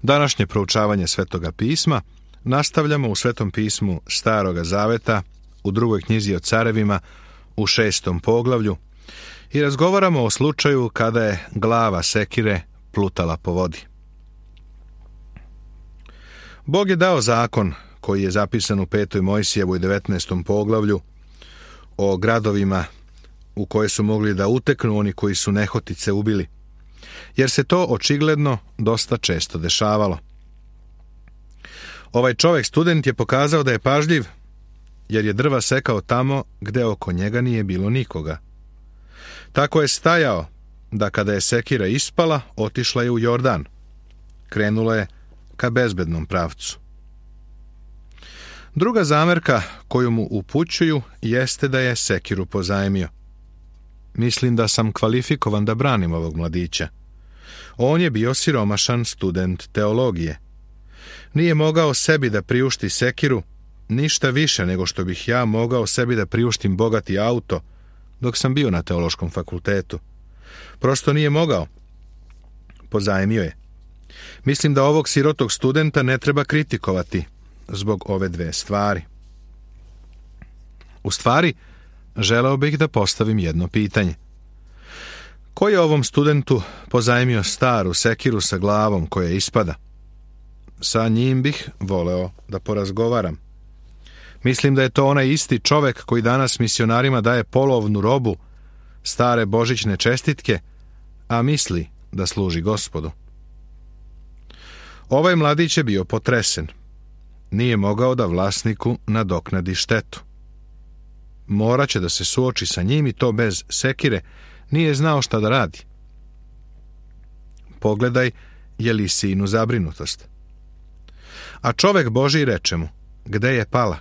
Današnje proučavanje Svetoga pisma nastavljamo u Svetom pismu Staroga zaveta, u 2. knjizi o carevima, u 6. poglavlju i razgovaramo o slučaju kada je glava sekire plutala po vodi. Bog je dao zakon koji je zapisan u 5. Mojsijevoj 19. poglavlju o gradovima u koje su mogli da uteknu oni koji su nehotice ubili, jer se to očigledno dosta često dešavalo. Ovaj čovjek student je pokazao da je pažljiv, jer je drva sekao tamo gde oko njega nije bilo nikoga. Tako je stajao da kada je sekira ispala, otišla je u Jordan. Krenula je ka bezbednom pravcu. Druga zamerka koju mu upućuju jeste da je sekiru pozajmio. Mislim da sam kvalifikovan da branim ovog mladića. On je bio siromašan student teologije. Nije mogao sebi da priušti sekiru, ništa više nego što bih ja mogao sebi da priuštim bogati auto dok sam bio na teološkom fakultetu. Prosto nije mogao. Pozajmio je. Mislim da ovog sirotog studenta ne treba kritikovati zbog ove dve stvari. U stvari, želeo bih da postavim jedno pitanje. Ko je ovom studentu pozajmio staru sekiru sa glavom koja ispada? Sa njim bih voleo da porazgovaram. Mislim da je to onaj isti čovek koji danas misionarima daje polovnu robu, stare božićne čestitke, a misli da služi Gospodu. Ovaj mladić je bio potresen. Nije mogao da vlasniku nadoknadi štetu. Moraće da se suoči sa njim i to bez sekire, nije znao šta da radi. Pogledaj Jelisijinu zabrinutost. A čovek Božji reče mu, gde je pala?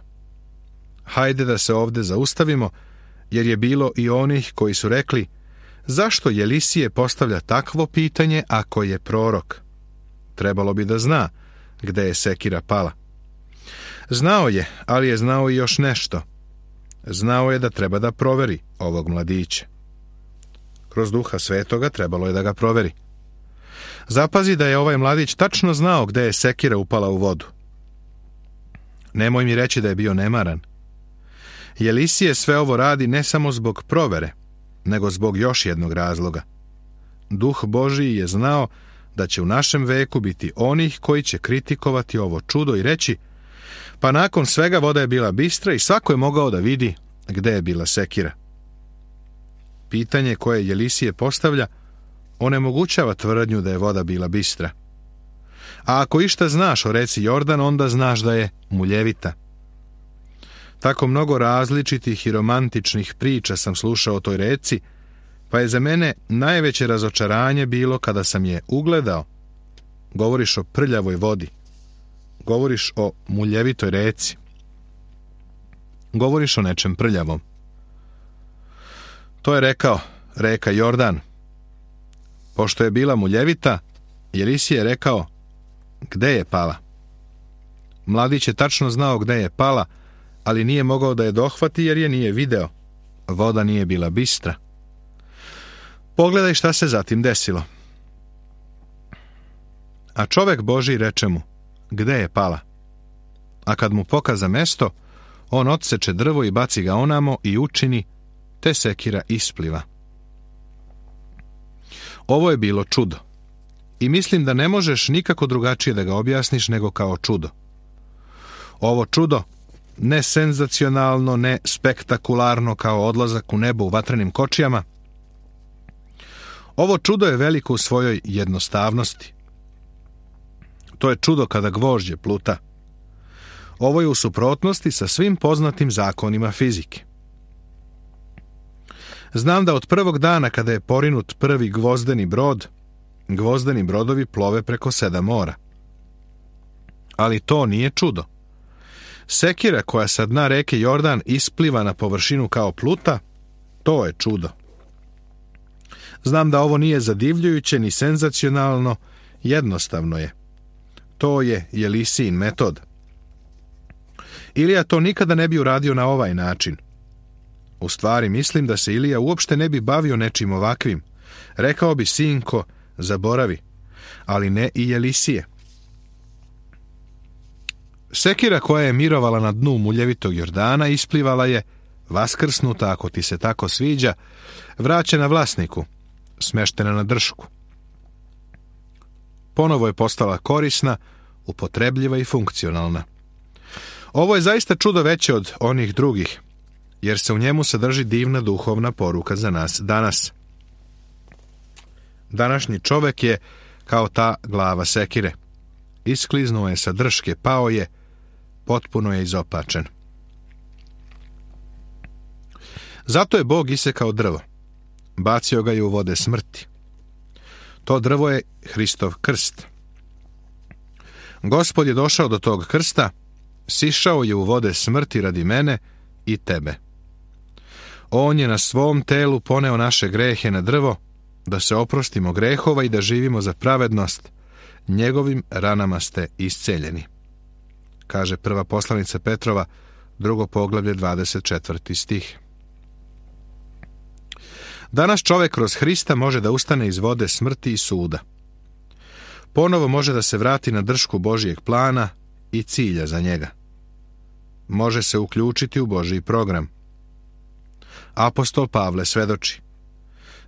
Hajde da se ovde zaustavimo, jer je bilo i onih koji su rekli, zašto Jelisije postavlja takvo pitanje ako je prorok? Trebalo bi da zna gde je sekira pala. Znao je, ali je znao i još nešto. Znao je da treba da proveri ovog mladića. Kroz Duha Svetoga trebalo je da ga proveri. Zapazi da je ovaj mladić tačno znao gde je sekira upala u vodu. Nemoj mi reći da je bio nemaran. Jelisije sve ovo radi ne samo zbog provere, nego zbog još jednog razloga. Duh Božiji je znao da će u našem veku biti onih koji će kritikovati ovo čudo i reći, pa nakon svega voda je bila bistra i svako je mogao da vidi gde je bila sekira. Pitanje koje Jelisije postavlja onemogućava tvrdnju da je voda bila bistra. A ako išta znaš o reci Jordan, onda znaš da je muljevita. Tako mnogo različitih i romantičnih priča sam slušao o toj reci, pa je za mene najveće razočaranje bilo kada sam je ugledao. Govoriš o prljavoj vodi. Govoriš o muljevitoj reci. Govoriš o nečem prljavom. To je rekao reka Jordan. Pošto je bila muljevita, Jelisije je rekao, gde je pala? Mladić je tačno znao gde je pala, ali nije mogao da je dohvati jer je nije video. Voda nije bila bistra. Pogledaj šta se zatim desilo. A čovek Božji reče mu, gde je pala? A kad mu pokaza mesto, on odseče drvo i baci ga onamo i učini, te sekira ispliva. Ovo je bilo čudo. I mislim da ne možeš nikako drugačije da ga objasniš nego kao čudo. Ovo čudo, ne senzacionalno, ne spektakularno kao odlazak u nebo u vatrenim kočijama, ovo čudo je veliko u svojoj jednostavnosti. To je čudo kada gvožđe pluta. Ovo je u suprotnosti sa svim poznatim zakonima fizike. Znam da od prvog dana kada je porinut prvi gvozdeni brod, gvozdeni brodovi plove preko 7 mora. Ali to nije čudo. Sekira koja sa dna reke Jordan ispliva na površinu kao pluta, to je čudo. Znam da ovo nije zadivljujuće ni senzacionalno, jednostavno je. To je Jelisijin metod. Ilija to nikada ne bi uradio na ovaj način. U stvari mislim da se Ilija uopšte ne bi bavio nečim ovakvim. Rekao bi, sinko, zaboravi, ali ne i Jelisije. Sekira koja je mirovala na dnu muljevitog Jordana isplivala je, vaskrsnuta, ako ti se tako sviđa, vraćena vlasniku, smeštena na dršku. Ponovo je postala korisna, upotrebljiva i funkcionalna. Ovo je zaista čudo veće od onih drugih, jer se u njemu sadrži divna duhovna poruka za nas danas. Današnji čovek je kao ta glava sekire. Iskliznuo je sa drške, pao je, potpuno je izopačen. Zato je Bog isekao drvo. Bacio ga je u vode smrti. To drvo je Hristov krst. Gospod je došao do tog krsta, sišao je u vode smrti radi mene i tebe. On je na svom telu poneo naše grehe na drvo, da se oprostimo grehova i da živimo za pravednost. Njegovim ranama ste isceljeni. Kaže prva poslanica Petrova, 2. poglavlje, 24. stih. Danas čovjek kroz Hrista može da ustane iz vode smrti i suda. Ponovo može da se vrati na dršku Božijeg plana i cilja za njega. Može se uključiti u Božji program. Apostol Pavle svedoči: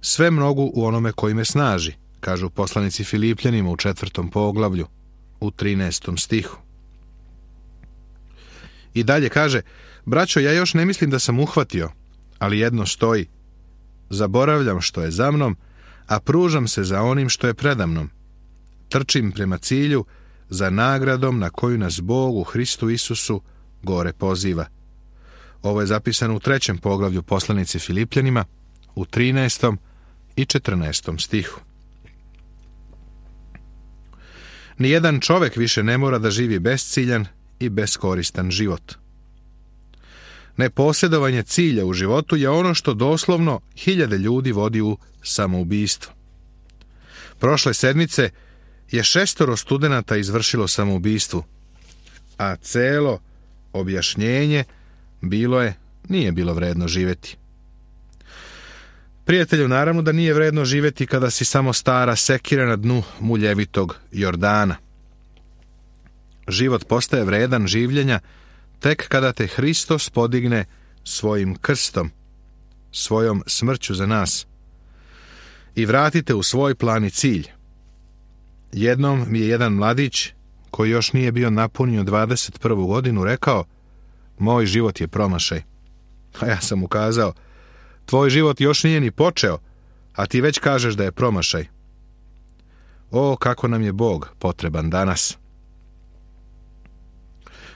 sve mogu u onome koji me snaži, kažu poslanici Filipljanima u 4. poglavlju, u 13. stihu. I dalje kaže: braćo, ja još ne mislim da sam uhvatio, ali jedno stoji. Zaboravljam što je za mnom, a pružam se za onim što je predamnom. Trčim prema cilju, za nagradom na koju nas Bog u Hristu Isusu gore poziva. Ovo je zapisano u 3. poglavlju poslanici Filipljanima, u 13. i 14. stihu. Nijedan čovek više ne mora da živi besciljan i beskoristan život. Neposjedovanje cilja u životu je ono što doslovno hiljade ljudi vodi u samoubistvo. Prošle sedmice je 6 studenata izvršilo samoubistvu, a celo objašnjenje nije bilo vredno živjeti. Prijatelju, naravno da nije vredno živjeti kada si samo stara sekira na dnu muljevitog Jordana. Život postaje vredan življenja tek kada te Hristos podigne svojim krstom, svojom smrću za nas, i vratite u svoj plan i cilj. Jednom mi je jedan mladić, koji još nije bio napunio 21. godinu, rekao: moj život je promašaj. A ja sam mu kazao: tvoj život još nije ni počeo, a ti već kažeš da je promašaj. O, kako nam je Bog potreban danas.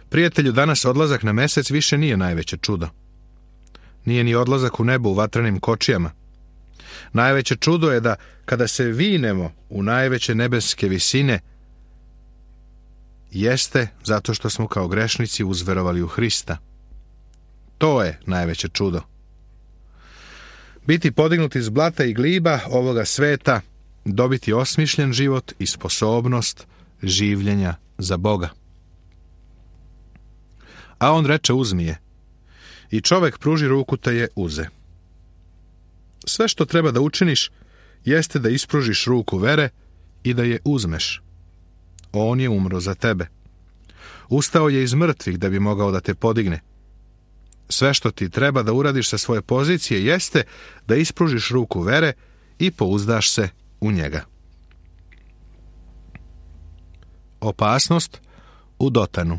Prijatelju, danas odlazak na mesec više nije najveće čudo. Nije ni odlazak u nebo u vatrenim kočijama. Najveće čudo je da kada se vinemo u najveće nebeske visine, jeste zato što smo kao grešnici uzverovali u Hrista. To je najveće čudo. Biti podignuti iz blata i gliba ovoga sveta, dobiti osmišljen život i sposobnost življenja za Boga. A on reče: uzmi je. I čovek pruži ruku te je uze. Sve što treba da učiniš jeste da ispružiš ruku vere i da je uzmeš. On je umro za tebe. Ustao je iz mrtvih da bi mogao da te podigne. Sve što ti treba da uradiš sa svoje pozicije jeste da ispružiš ruku vere i pouzdaš se u njega. Opasnost u Dotanu.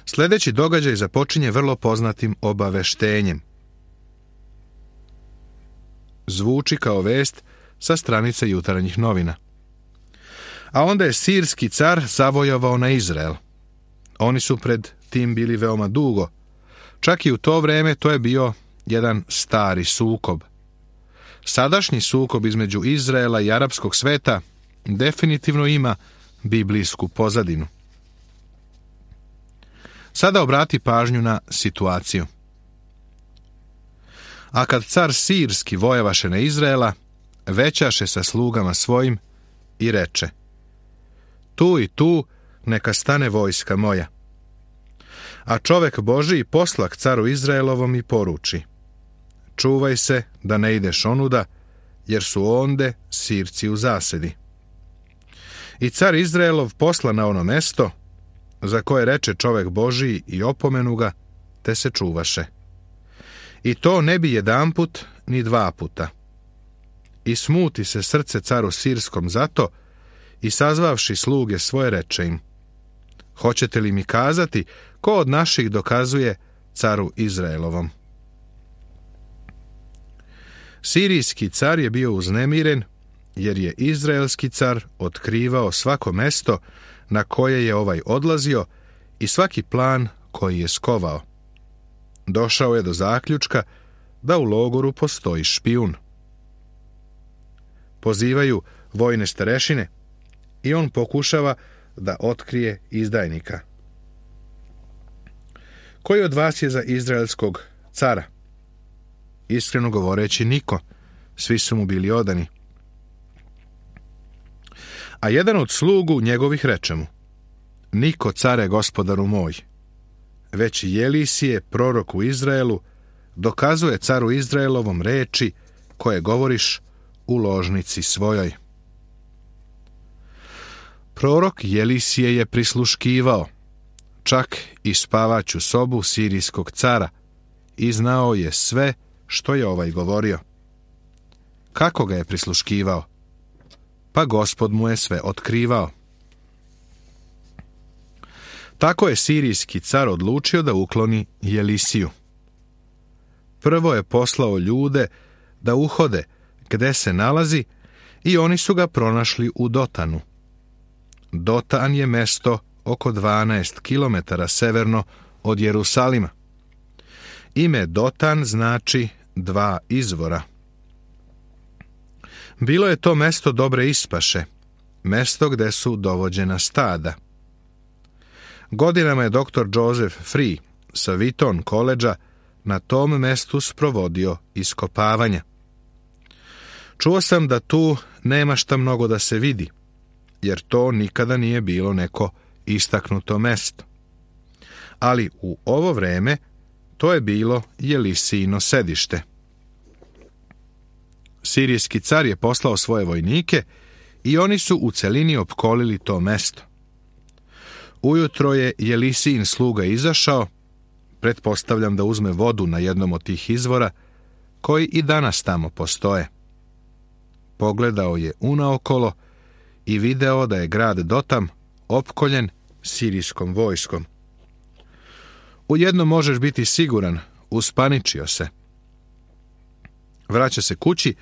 Sljedeći događaj započinje vrlo poznatim obaveštenjem. Zvuči kao vest sa stranice Jutarnjih novina. A onda je sirski car zavojovao na Izrael. Oni su pred tim bili veoma dugo. Čak i u to vreme to je bio jedan stari sukob. Sadašnji sukob između Izraela i arapskog sveta definitivno ima biblijsku pozadinu. Sada obrati pažnju na situaciju. A kad car sirski vojavaše na Izraela, većaše sa slugama svojim i reče: tu i tu neka stane vojska moja. A čovek Božiji poslak caru Izraelovom i poruči: čuvaj se da ne ideš onuda, jer su onde Sirci u zasedi. I car Izraelov posla na ono mesto, za koje reče čovek Božiji i opomenu ga, te se čuvaše. I to ne bi jedanput ni dva puta. I smuti se srce caru Sirskom zato, i sazvavši sluge svoje reče im: hoćete li mi kazati ko od naših dokazuje caru Izraelovom? Sirijski car je bio uznemiren, jer je izraelski car otkrivao svako mesto na koje je ovaj odlazio i svaki plan koji je skovao. Došao je do zaključka da u logoru postoji špijun. Pozivaju vojne starešine i on pokušava da otkrije izdajnika. Koji od vas je za izraelskog cara? Iskreno govoreći, niko. Svi su mu bili odani. A jedan od slugu njegovih reče mu: niko, care, gospodaru moj. Već Jelisije, prorok u Izraelu, dokazuje caru Izraelovom reči koje govoriš u ložnici svojoj. Prorok Jelisije je prisluškivao, čak i spavaću sobu sirijskog cara, i znao je sve što je ovaj govorio. Kako ga je prisluškivao? Pa Gospod mu je sve otkrivao. Tako je sirijski car odlučio da ukloni Jelisiju. Prvo je poslao ljude da uhode gde se nalazi i oni su ga pronašli u Dotanu. Dotan je mesto oko 12 kilometara severno od Jerusalima. Ime Dotan znači dva izvora. Bilo je to mesto dobre ispaše, mesto gde su dovođena stada. Godinama je dr. Joseph Free sa Wheaton koledža na tom mestu sprovodio iskopavanja. Čuo sam da tu nema šta mnogo da se vidi, jer to nikada nije bilo neko istaknuto mesto. Ali u ovo vreme to je bilo Jelisijino sedište. Sirijski car je poslao svoje vojnike i oni su u celini opkolili to mesto. Ujutro je Jelisijin sluga izašao, pretpostavljam da uzme vodu na jednom od tih izvora, koji i danas tamo postoje. Pogledao je unaokolo i video da je grad Dotan opkoljen sirijskom vojskom. U jedno možeš biti siguran, uspaničio se. Vraća se kući,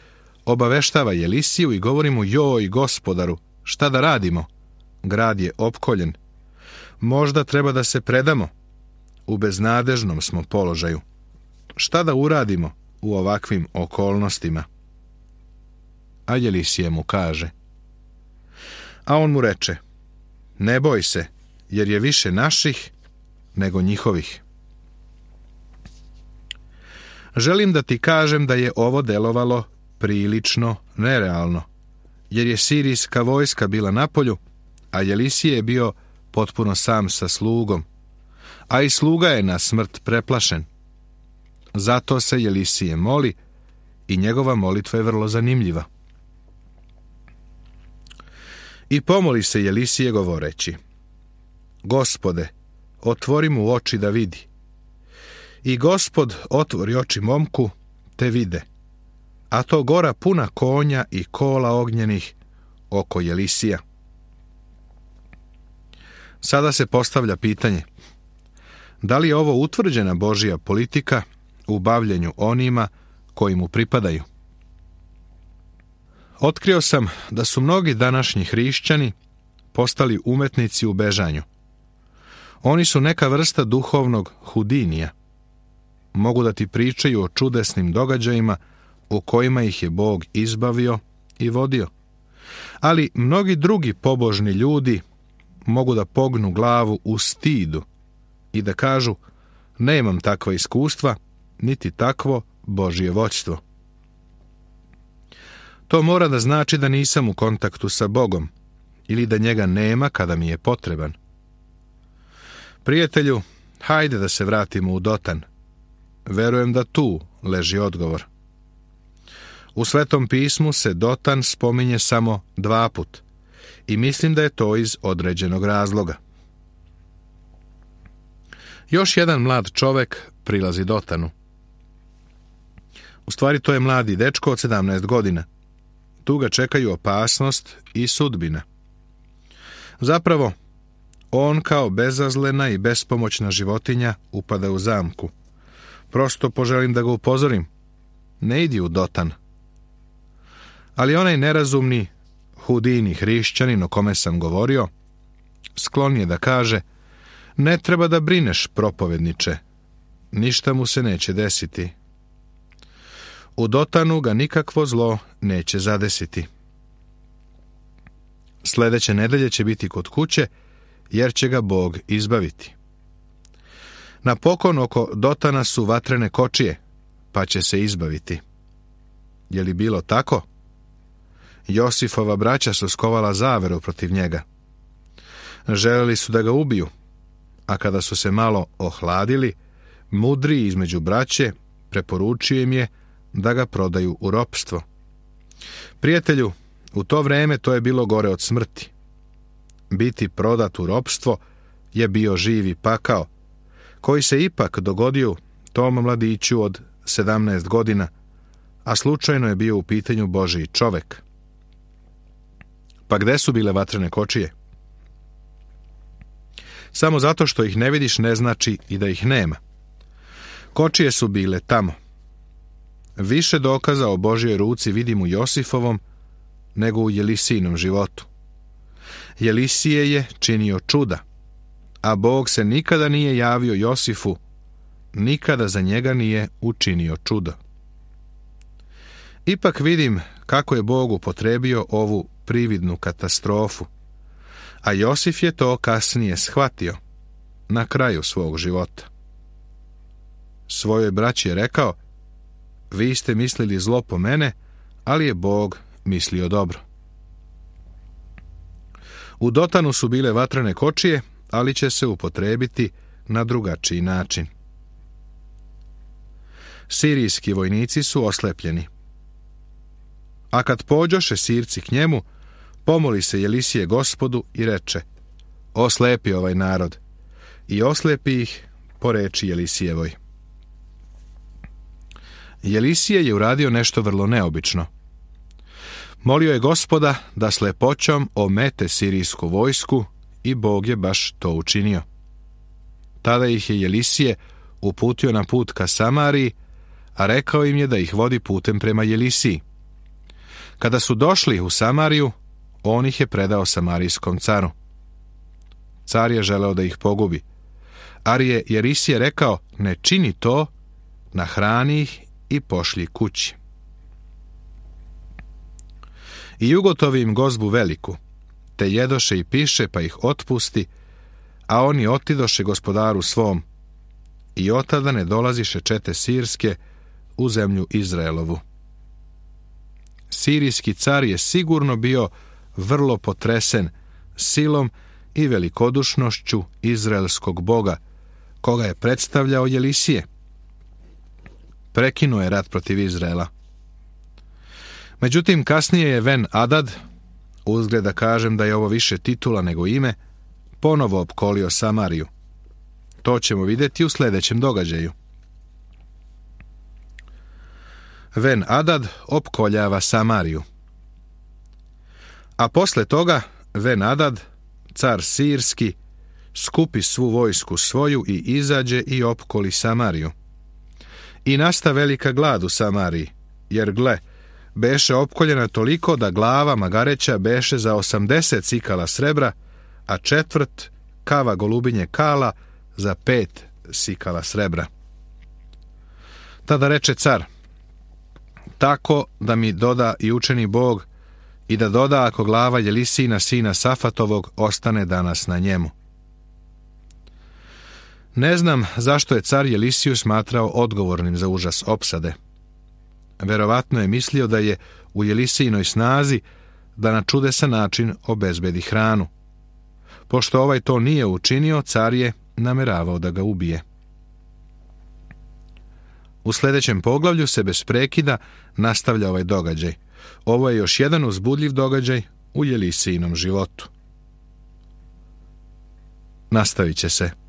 obaveštava Jelisiju i govori mu: joj, gospodaru, šta da radimo? Grad je opkoljen. Možda treba da se predamo. U beznadežnom smo položaju. Šta da uradimo u ovakvim okolnostima? A Jelisije mu kaže. A on mu reče: ne boj se, jer je više naših nego njihovih. Želim da ti kažem da je ovo delovalo prilično nerealno, jer je sirijska vojska bila napolju, a Jelisije je bio potpuno sam sa slugom, a i sluga je na smrt preplašen. Zato se Jelisije moli i njegova molitva je vrlo zanimljiva. I pomoli se Jelisije govoreći: Gospode, otvori mu oči da vidi. I Gospod otvori oči momku, te vide, a to gora puna konja i kola ognjenih oko Jelisija. Sada se postavlja pitanje: da li je ovo utvrđena Božja politika u bavljenju onima koji mu pripadaju? Otkrio sam da su mnogi današnji hrišćani postali umetnici u bežanju. Oni su neka vrsta duhovnog Hudinija. Mogu da ti pričaju o čudesnim događajima u kojima ih je Bog izbavio i vodio. Ali mnogi drugi pobožni ljudi mogu da pognu glavu u stidu i da kažu: nemam takva iskustva, niti takvo Božje vođstvo. To mora da znači da nisam u kontaktu sa Bogom ili da njega nema kada mi je potreban. Prijatelju, hajde da se vratimo u Dotan. Verujem da tu leži odgovor. U Svetom pismu se Dotan spominje samo 2 puta i mislim da je to iz određenog razloga. Još jedan mlad čovek prilazi Dotanu. U stvari to je mladi dečko od 17 godina. Tu ga čekaju opasnost i sudbina. Zapravo, on kao bezazlena i bespomoćna životinja upada u zamku. Prosto poželim da ga upozorim. Ne idi u Dotan. Ali onaj nerazumni, hudini hrišćanin o kome sam govorio, sklon je da kaže: ne treba da brineš, propovedniče. Ništa mu se neće desiti. U Dotanu ga nikakvo zlo neće zadesiti. Sljedeće nedelje će biti kod kuće, jer će ga Bog izbaviti. Napokon oko Dotana su vatrene kočije, pa će se izbaviti. Je li bilo tako? Josifova braća su skovala zaveru protiv njega. Želeli su da ga ubiju, a kada su se malo ohladili, mudriji između braće preporučio im je da ga prodaju u ropstvo. Prijatelju, u to vreme to je bilo gore od smrti. Biti prodat u ropstvo je bio živi pakao, koji se ipak dogodio tom mladiću od 17 godina, a slučajno je bio u pitanju Božji čovek. Pa gde su bile vatrene kočije? Samo zato što ih ne vidiš ne znači i da ih nema. Kočije su bile tamo. Više dokaza o Božjoj ruci vidim u Josifovom nego u Jelisijinom životu. Jelisije je činio čuda, a Bog se nikada nije javio Josifu, nikada za njega nije učinio čudo. Ipak vidim kako je Bog upotrebio ovu prividnu katastrofu, a Josif je to kasnije shvatio, na kraju svog života. Svojoj braći je rekao: vi ste mislili zlo po mene, ali je Bog mislio dobro. U Dotanu su bile vatrene kočije, ali će se upotrebiti na drugačiji način. Sirijski vojnici su oslepljeni. A kad pođoše Sirci k njemu, pomoli se Jelisije Gospodu i reče: oslepi ovaj narod. I oslepi ih po reči Jelisijevoj. Jelisije je uradio nešto vrlo neobično. Molio je Gospoda da slepoćom omete sirijsku vojsku i Bog je baš to učinio. Tada ih je Jelisije uputio na put ka Samariji, a rekao im je da ih vodi putem prema Jelisiji. Kada su došli u Samariju, on ih je predao samarijskom caru. Car je želeo da ih pogubi, ali je Jelisije rekao: ne čini to, nahrani ih i pošli kući. I ugotovi im gozbu veliku, te jedoše i piše, pa ih otpusti, a oni otidoše gospodaru svom, i otada ne dolaziše čete sirske u zemlju Izraelovu. Sirijski car je sigurno bio vrlo potresen silom i velikodušnošću izraelskog Boga, koga je predstavljao Jelisije. Prekinuo je rat protiv Izraela. Međutim, kasnije je Ben Adad, uzgled da kažem da je ovo više titula nego ime, ponovo opkolio Samariju. To ćemo vidjeti u sljedećem događaju. Ben Adad opkoljava Samariju. A posle toga Ben Adad, car sirski, skupi svu vojsku svoju i izađe i opkoli Samariju. I nasta velika glad u Samariji, jer gle, beše opkoljena toliko da glava magareća beše za 80 sikala srebra, a četvrt kava golubinje kala za 5 sikala srebra. Tada reče car: tako da mi doda i učeni Bog, i da doda ako glava Jelisijina sina Safatovog ostane danas na njemu. Ne znam zašto je car Jelisiju smatrao odgovornim za užas opsade. Verovatno je mislio da je u Jelisijinoj snazi da na čudesan način obezbedi hranu. Pošto ovaj to nije učinio, car je nameravao da ga ubije. U sljedećem poglavlju se bez prekida nastavlja ovaj događaj. Ovo je još jedan uzbudljiv događaj u Jelisijinom životu. Nastavit će se.